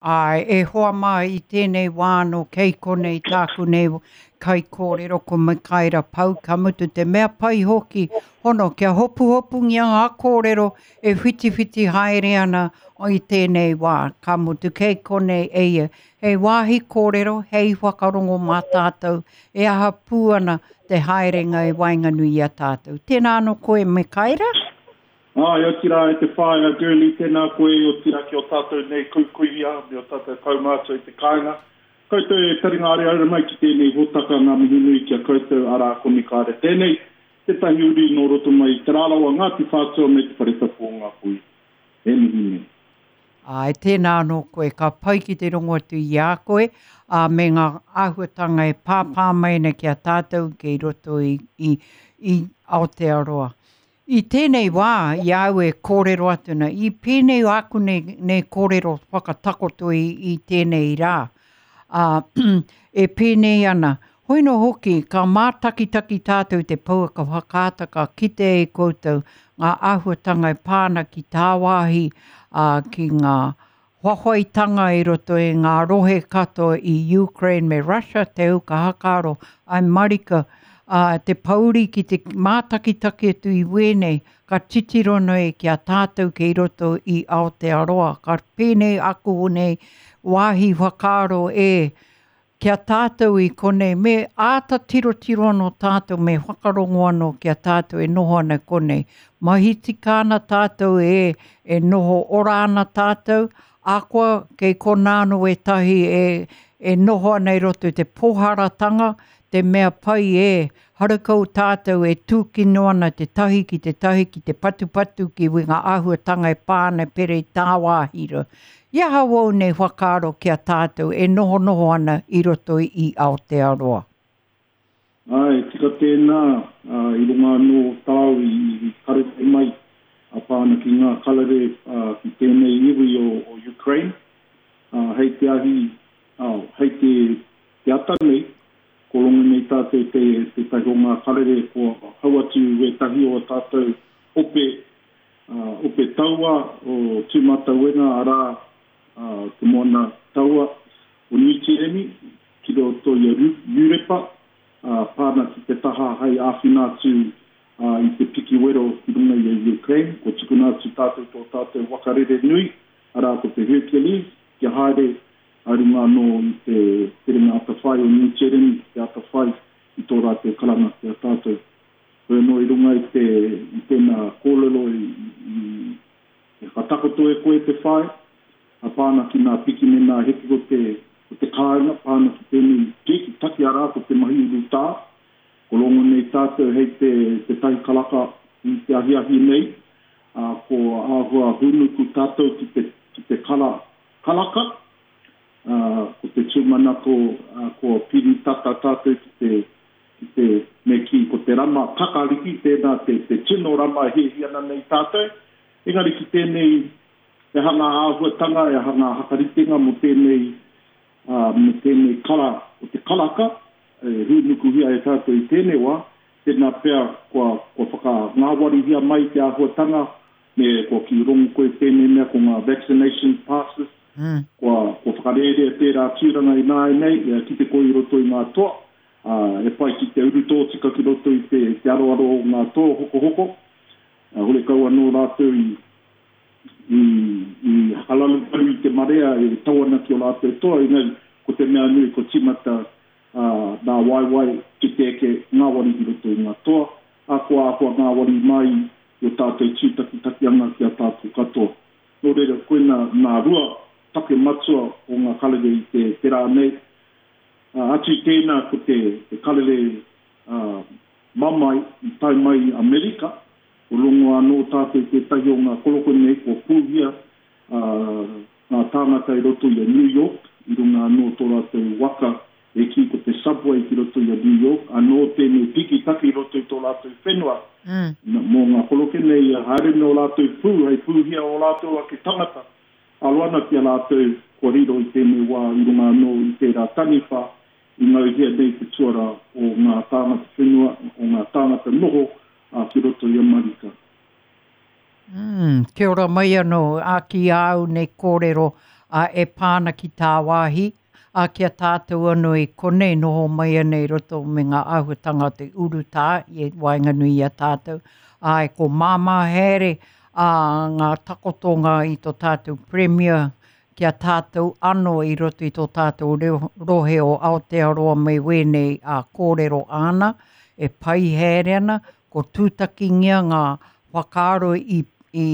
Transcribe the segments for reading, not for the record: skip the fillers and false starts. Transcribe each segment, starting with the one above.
Āe, e hoa mā, i tēnei wā anō kei konei tāku nei kaikōrero ko Mikaera Pau, ka mutu te mea pai hoki, hono kia hopuhopungia ngā kōrero e whitiwhiti haere ana i tēnei wā, ka mutu kei konei e ia, hei wāhi kōrero, hei whakarongo mā tātou e aha pū ana te haerenga i waenganui i a tātou. Tēnā anō koe Mikaera. Āe, otirā e te whāinga Girlie, tēnā koe, otirā ki ō tātou nei kuikuia me ō tātou kaumātua i te kāinga. Koutou e taringa areare mai ki tēnei hōtaka, ngā mihi nui ki a koutou, arā, ko Mikaere tēnei, tētahi uri nō roto mai i Te Rarawa, Ngāti Whātua me Te Whare Tapu o Ngāpuhi. E mihi nei. Āe, tēnā anō koe, ka pai ki te rongo atu i a koe, ā, me ngā āhuatanga e pāpā mai ana ki a tātou kei roto i, i, i Aotearoa. I tēnei wā, i a au e kōrero atu ana, i pēnei āku nei, nei kōrero whakatakoto i, i tēnei rā, ā, e pēnei ana, hoi nō hoki, ka mātakitaki tātou i te pouaka whakaata ka kite e koutou ngā āhuatanga e pā ana ki tāwāhi, ā, ki ngā whawhaitanga i roto i ngā rohe katoa i Ukraine me Russia, te au ka hakaaro, ai marika, ā, te pouri ki te mātakitaki atu i wēnei, ka titiro nei ki a tātou kei roto i Aotearoa, ka pēnei aku nei wāhi whakaaro e, Ki a tātou i konei, me āta tirotiro anō tātou, me whakarongo anō ki a tātou e noho ana i konei. Mahi tika ana tātou e, e noho ora ana tātou, ahakoa kei konā anō ētahi e, e noho ana i roto i te pōharatanga, te mea pai e, harakau tātou e tūkino ana te tahi ki te tahi ki te patupatu ki ngā āhuatanga e pā ana pērā i tāwāhi rā. I aha wou nei whakaaro ki a tātou e nohonoho ana i roto i Aotearoa? Āe, tika tēnā, ā, i runga anō tāu i karere mai a pā ana ki ngā karere ki tēnei iwi o Ukraine, ā, hei te ahi, ā, hei te te ata nei, ko rongo nei tātou te tētahi o ngā karere kua hau atu wētahi o ā tātou ope Ope Taua o Tūmatauenga arā, Te Moana Taua o Niu Tīreni ki roto i a Iurepa, pā ana ki te taha hei āwhina atu i te piki wero ki runga i a Ukraine. Kua tukuna atu tātou tō tātou waka rere nui, arā ko te Hercules, kia haere a runga anō i te terenga atawhai o Niu Tīreni ki te atawhai i tō rātou karanga ki a tātou. Koe anō i runga i te, i tēnā kōrero i, i, i whakatakoto e koe te whai, a pā ana ki nā piki me nā heke o te, o te kāinga, pā ana ki tēnei piki taki arā ko te mahi urutā. Ko rongo nei tātou hei te, te tahi karaka i te ahiahi nei, ā, ko āhua hūnuku tātou ki te, ki te kara karaka, ā, ko te tūmanako, ā, kua piri tata tātou ki te, ki te, me kī, ko te rama kakariki, tēnā te, te tino rama e hiahia ana nei tātou. Engari ki tēnei, he aha ngā āhuatanga, he aha ngā hakaritenga mō tēnei, ā, mō tēnei kara o te karaka, e hūnukuhia e tātou i tēnei wā, tēnā pea kua, kua whakangāwarihia mai te āhuatanga, me kua kī rongo koe tēnei mea ko ngā vaccination passes, kua, kua whakarērea tērā tūranga ināianei, e kite koe i roto i ngā toa, ā, e pai ki te uru tōtika ki roto i te, te aroaro o ngā toa hokohoko, ā, horekau anō rātou i, i, i hakararuparu i te marea e tau ana ki ō rātou toa, engari, ko te mea nui kua tīmata, ā, nā waewae ki te eke ngāwari ki roto i ngā toa, ā, kua āhua ngāwari mai i ō tātou tūtakitakianga ki a tātou katoa. Nō reira, koina nā rua take matua o ngā karere i te, te rā nei. Ā, atu i tēnā ko te, te karere, ā, mamae i tae mai i Amerika, ko rongo anō tātou i tētahi o ngā koroko nei kua pūhia, ā, ngā tāngata i roto i a New York, i runga anō tō rātou waka e kī ko te subway ki roto i a New York, anō tēnei piki taki i roto i tō rātou whenua, mō ngā koroke nei ia haere me ō rātou pū hei pūhia ō rātou ake tangata, aro ana ki a rātou kua riro i tēnei wā i runga anō i tērā taniwha i ngauhia nei te tuara o ngā tāngata whenua, o ngā tāngata noho ki roto i Amerika. Umm, kia ora mai anō, ā, ki āu nei kōrero, ā, e pā ana ki tāwāhi, ā, ki a tātou anō i konei noho mai ana i roto me ngā āhuatanga o te urutā i waenganui i a tātou. Āe, ko māmā haere, ā, ngā takotonga i tō tātou Premier ki a tātou anō i roto i tō tātou reo, rohe o Aotearoa me wēnei ā, kōrero āna e pai haere ana, ko tūtakingia ngā whakaaro i, i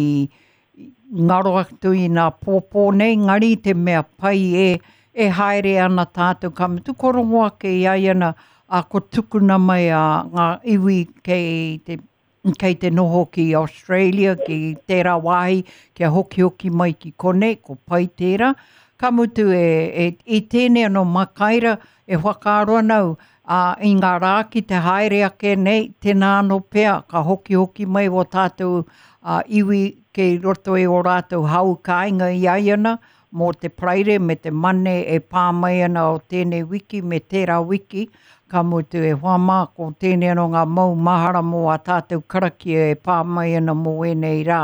ngaro atu i nā pōpō nei, ngari te mea pai e, e haere ana tātou, ka mutu ko rongo ake i ai ana, a ko tukuna mai a ngā iwi kei te kei te noho ki Australia, ki tērā wāhi, kia hokihoki mai ki konei, ko pai tērā. Ka mutu e, e, i tēnei anō Makaira, e whakaaro ana au, ā, i ngā rā ki te haere ake nei, tēnā anō pea ka hokihoki mai wō tātou ā, iwi kei roto i ō rātou hau kāinga i ai ana, mō te Paraire me te Mane e pā mai ana o tēnei wiki me tērā wiki, ka mutu e hoa mā, ko tēnei anō ngā mau mahara mō ā tātou karakia e pā mai ana mō ēnei rā.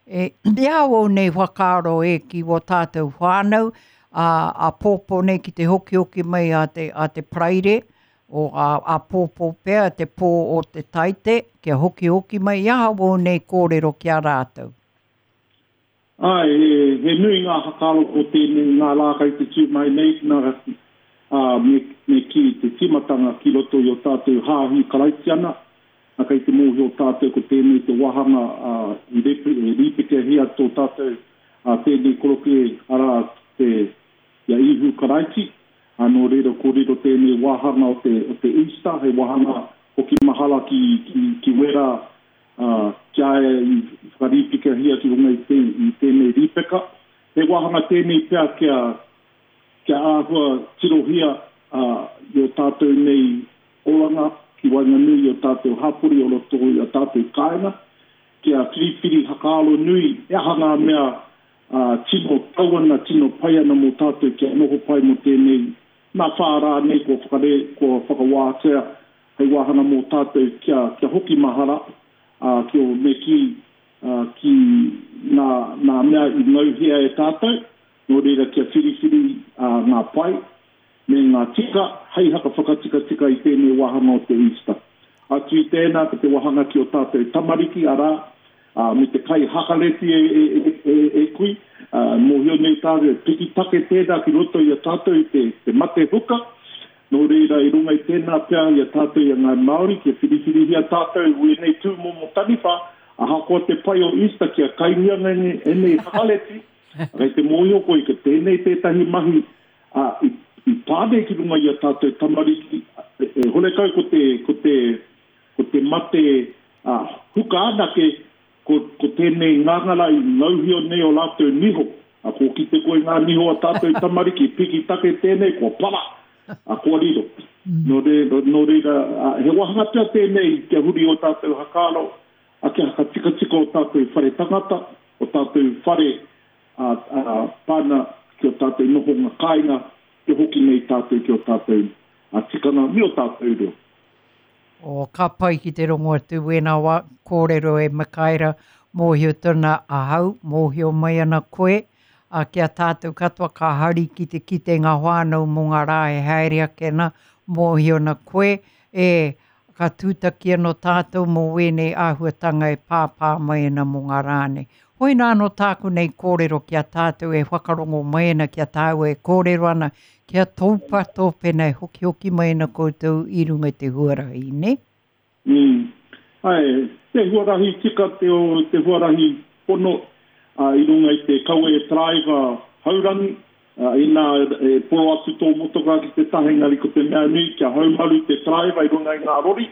E, i a wau nei whakaaro e ki wō tātou whānau, ā, āpōpō nei ki te hokihoki mai a te, a te Paraire, o ā, āpōpō pea te pō o te Taite, kia hokihoki mai, i aha wō nei kōrero ki a rātou? Āe, he, he nui ngā whakaaro o tēnei, ngā rā kei te tū mai nei, nā, ā, me, me kī, te tīmatanga ki roto i ō tātou hāhi Karaitiana, ā, kei te mōhio tātou ko tēnei te wāhanga, ā, i repe, e rīpekehia tō tātou, ā, tēnei koroke, arā, te, i a Ihu Karaiti, ā, nō reira ko riro tēnei wāhanga o te, o te Easter hei wāhanga hoki mahara ki, ki, ki wērā, ā, ki a ia i whakarīpekahia ki runga i te, i tēnei rīpeka. He wāhanga tēnei pea kia, kia āhua tirohia, ā, i ō tātou nei oranga ki waenganui i ō tātou hapori o roto i ā tātou kāinga, kia whiriwhiri whakaaro nui he aha ngā mea ā, tino tau ana, tino pai ana mō tātou kia noho pai mō tēnei nā whā rā nei kua whakare, kua whakawātea hei wāhanga mō tātou kia, kia hoki mahara, ā, ki ō, me kī, ā, ki ngā, ngā mea i ngauhia e tātou, nō reira kia whiriwhiri, ā, ngā pai, me ngā tika hei haka whakatikatika i tēnei wāhanga o te Easter. Atu i tēnā ko te wāhanga ki o tātou tamariki, arā, ā, me te kai hakareti e, e, e, e, e kui, ā, mōhio nei tātou, he piki take tēnā ki roto i a tātou i te, te mate huka, nō reira i runga i tēnā pea i a tātou i a Ngāi Māori kia whiriwhirihia tātou wēnei tūmomo taniwha, ahakoa te pai o Easter kia kaingia ēnei hakareti, kei te mōhio koe ko tēnei tētahi mahi Ā, i, i pā nei ki runga i a tātou tamariki, e, e horekau ko te, ko te, ko te mate, ā, huka anake, ko, ko tēnei ngangara i ngauhio nei o rātou niho. Ā, kua kite koe ngā niho a tātou tamariki, piki take tēnei, kua para, ā, kua riro. Nō reira, nō reira, ā, he wāhanga pea tēnei kia huri ō tātou whakaaro, ā, kia whakatikatika ō tātou whare tangata, ō tātou whare, ā, ā, pana ki ō tātou nohonga kāinga, kia hoki nei tātou ki ō tātou tikanga me ō tātou reo. Oh, ka pai ki te rongo atu wēnā wā kōrero e Mikaera, mōhio tona ahau, mōhio mai ana koe, ā, ki a tātou katoa ka hari ki te kite ngā whānau mō ngā rā e haere ake ana, mōhio ana koe, e, Ka tūtaki anō tātou mō wēnei āhuatanga e pāpā mai ana mō ngā rā nei. Hoina anō tāku nei kōrero ki a tātou e whakarongo mai ana ki a tāua e kōrero ana kia tōpato pēnā e hokihoki mai ana koutou i runga i te huarahi, nē? Mm. Ae, te huarahi tika te o te huarahi pono a, i runga i te kawe taraiwa haurangi, Ā, inā e poro atu tō motokā ki te taha, engari ko te mea nui kia haumaru te taraiwa i runga i ngā rori,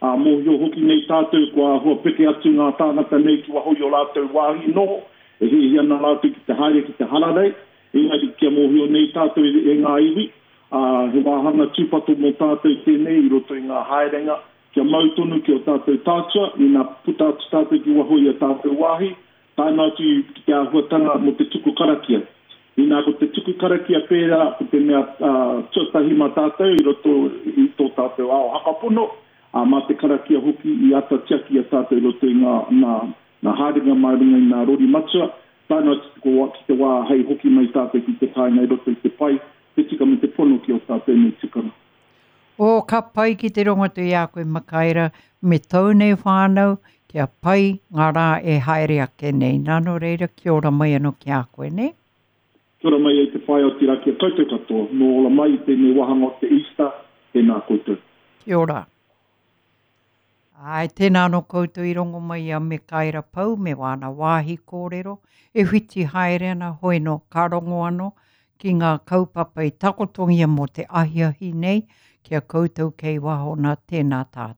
ā, mōhio hoki nei tātou kua āhua peke atu ngā tāngata nei ki waho i ō rātou wāhi noho, e hiahia ana rātou ki te haere ki te hararei, engari kia mōhio nei tātou e ngā iwi, ā, he wāhanga tūpato mō tātou tēnei i roto i ngā haerenga, kia mau tonu ki ō tātou tātua, ina puta atu tātou ki waho i ā tātou wāhi, Tae noa atu ki te āhuatanga mō te tuku karakia. Inā ko te tuku karakia pērā ko te mea tuatahi mā tātou i roto i tō tātou ao hakapono, ā, mā te karakia hoki i āta tiaki i a tātou i roto i ngā, ngā, ngā haerenga mā runga i ngā rori matua. Tae noa atu ki te wā hei hoki mai tātou ki te kāinga i roto i te pai, te tika me te pono ki ō tātou nei tikanga. Oh, ka pai ki te rongo atu i a koe Makaira me tōu nei whānau, kia pai ngā rā e haere ake nei. Nā, nō reira, kia ora mai anō ki a koe, nē? Kia ora mai e te whaea otirā ki a koutou katoa, nō ora mai i tēnei wāhanga o te Easter, tēnā koutou. Kia ora. Āe, tēnā anō koutou i rongo mai i a Mekaira Pou me wāna wāhi kōrero, e whiti haere ana, hoi nō, ka rongo anō ki ngā kaupapa i takotongia mō te ahiahi nei, ki a koutou kei waho nā, tēnā tātou.